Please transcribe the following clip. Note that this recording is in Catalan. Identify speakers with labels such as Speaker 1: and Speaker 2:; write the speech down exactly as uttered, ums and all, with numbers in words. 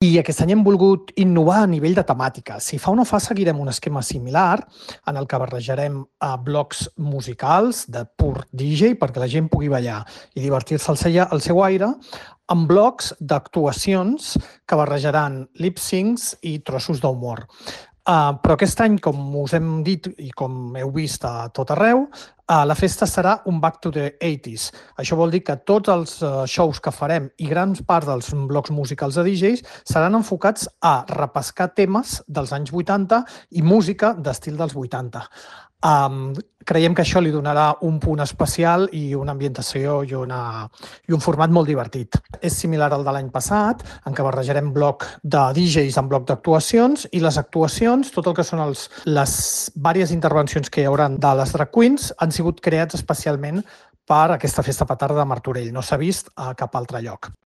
Speaker 1: I aquest any hem volgut innovar a nivell de temàtica. Si fa o no fa, seguirem un esquema similar en el que barrejarem a blocs musicals de pur D J perquè la gent pugui ballar i divertir-se al seu, al seu aire, amb blocs d'actuacions que barrejaran lip-syncs i trossos d'humor. Uh, però aquest any, com us hem dit i com heu vist a tot arreu, uh, la festa serà un back to the eighties. Això vol dir que tots els uh, shows que farem i grans part dels blocs musicals de D Js seran enfocats a repescar temes dels anys vuitanta i música d'estil dels vuitanta. Um, creiem que això li donarà un punt especial i una ambientació i, una, i un format molt divertit. És similar al de l'any passat, en què barrejarem bloc de D Js amb bloc d'actuacions i les actuacions, tot el que són els, les diverses intervencions que hi haurà de les drag queens, han sigut creats especialment per aquesta festa petarda de Martorell. No s'ha vist a cap altre lloc.